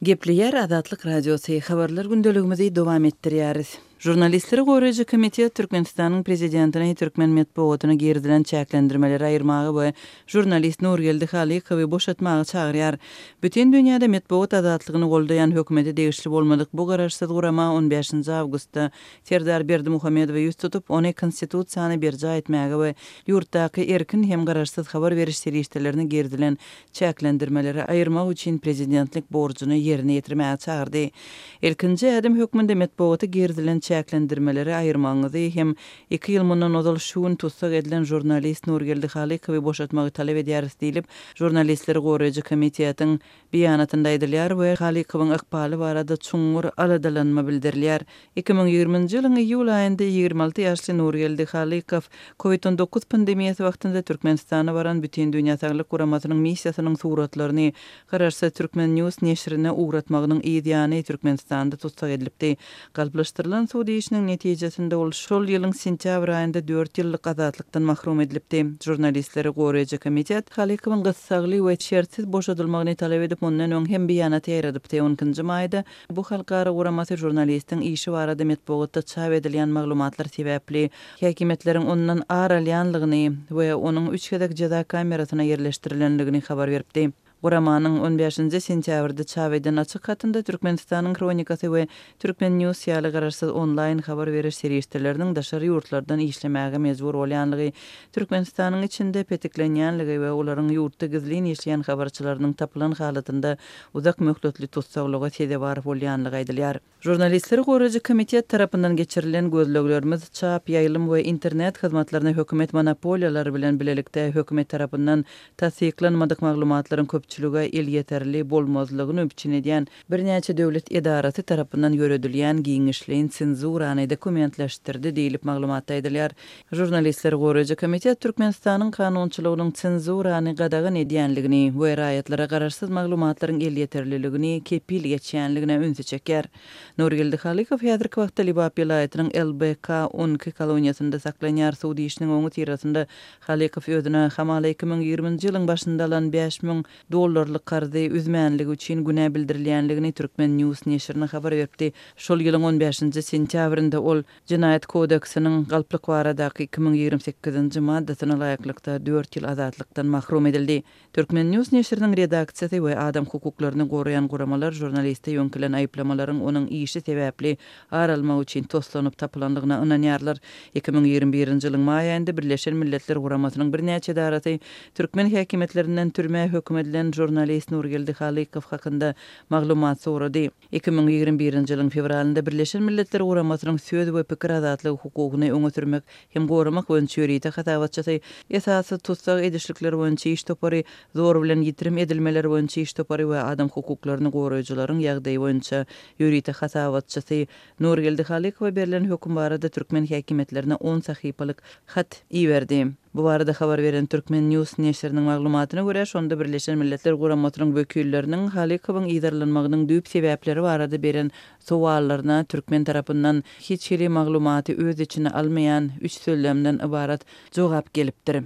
Gepleýär Azatlyk Radiosy, Habarlar gündeligimizi dowam etdirýäris. Žurnalistleri goraýjy komitet Türkmenistanyň prezidentini türkmen metbugatyna girizilen çäklendirmeleri aýyrmaga we žurnalist Nurgeldi Halykowy boşatmaga çagyrýar. Bütin dünýäde metbugat azatlygyny goldaýan hökümete degişli bolmadyk bu garaşsyz gurama on bäşinji awgustda Serdar Berdimuhamedowa ýüz tutup, ony Konstitusiýany berjaý etmäge we ýurtdaky erkin hem garaşsyz habar beriş serişdelerine girizilen çäklendirmeleri aýyrmak üçin prezidentlik borjuny ýerine ýetirmäge çagyrdy. Ilkinji ädim hökmünde metbugata girizilen çäklendirmeleri aýyrmagyňyzy hem iki ýyl mundan ozal şu gün tussag edilen žurnalist Nurgeldi Halykowy boşatmagy talap edýäris diýlip, Žurnalistleri goraýjy komitetiň beýanatynda aýdylýar we Halykowyň ykbaly barada çuňňur aladalanma bildirilýär. 2020-nji ýylyň iýul aýynda 26 ýaşly Nurgeldi Halykow Covid 19 pandemiýasy wagtynda Türkmenistana baran Bütindünýä Saglyk Guramasynyň missiýasynyň suratlaryny garaşsyz Turkmen News neşirine ugratmagynyň yz ýany Türkmenistanda tussag edilipdi. Galplaşdyrylan sud işiniň netijesinde ol şol ýylyň sentýabr aýynda dört ýyllyk azatlykdan mahrum edilipdi. Žurnalistleri goraýjy komitet Halykowyň gyssagly we şertsiz boşadylmagyny talap edip mundan öň hem beýanat ýaýradypdy. On ikinji maýda bu halkara guramasy žurnalistiň işi barada metbugatda çap edilýän maglumatlar sebäpli häkimiýetleriň ondan ar alýanlygyny we onuň üç gezek jeza kamerasyna ýerleşdirilenligini habar beripdi. Guramanyň on bäşinji sentýabrda çap eden açyk hatynda Türkmenistanyň Hronikasy we Turkmen News ýaly garaşsyz onlaýn habar beriş serişdeleriniň daşary ýurtlardan işlemäge mejbur bolýanlygy, Türkmenistanyň içinde petiklenýänligi we olaryň ýurtda gizlin işleýän habarçylarynyň tapylan halatynda uzak möhletli tussaglyga sezewar bolýanlygy aýdylýar. Žurnalistleri goraýjy komitet tarapyndan geçirilen gözleglerimiz çap, ýaýlym we internet hyzmatlaryna hökümet monopoliýalary bilen bilelikde hökümet tarapyndan tassyklanmadyk maglumatlaryň köpçülige elýeterli bolmazlygyny üpjün edýän birnäçe döwlet edarasy tarapyndan ýöredilýän giňişleýin senzurany dokumentleşdirdi diýlip maglumatda aýdylýar. Žurnalistleri goraýjy komitet Türkmenistanyň kanunçylygynyň senzurany gadagan edýänligini we raýatlara garaşsyz maglumatlaryň elýeterliligini kepil geçýänligine ünsi çekýär. Nurgeldi Halykow häzirki wagtda Lebap welaýatynyň LBK 12 koloniýasynda saklanýar. Sud işiniň öňüsyrasynda Halykow özüne hamala 2020-nji ýylyň başynda alan 5000 dollarlyk karzy üzmänligi üçin günä bildirilýänligini Turkmen News neşirine habar beripdi. Şol ýylyň on bäşinji sentýabrynda ol Jenaýat kodeksiniň galplyk baradaky 2028-nji maddasyna laýyklykda dört ýyl azatlykdan mahrum edildi. Turkmen News neşiriniň redaksiýasy we adam hukuklaryny goraýan guramalar žurnaliste ýöňkelen aýyplamalaryň onuň işi sebäpli ar almak üçin toslanyp tapylandygyna ynanýarlar. 2021-nji ýylyň maý aýynda Birleşen Milletler Guramasynyň birnäçe edarasy türkmen häkimiýetlerinden türmä höküm edilen žurnalist Nurgeldi Halykow hakynda maglumat sorady. 2021-nji ýylyň fewralynda Birleşen Milletler Guramasynyň söz we pikir azatlygy hukugyny öňe sürmek hem goramak boýunça ýörite hasabatçysy, esasy tussag edişlikler boýunça iş topary, zor bilen ýitirim edilmeler boýunça iş topary we adam hukuklaryny goraýjylaryň ýagdaýy boýunça ýörite hasabatçysy Nurgeldi Halykowa berlen höküm barada türkmen häkimiýetlerine on sahypalyk hat iberdi. Bu barada habar beren Turkmen News neşiriniň maglumatyna görä, şonda Birleşen Milletler Guramasynyň wekilleriniň Halykowyň yzarlanmagynyň düýp sebäpleri barada beren sowallaryna türkmen tarapyndan hiç hili maglumaty öz içine almaýan üç sözlemden ybarat jogap gelipdir.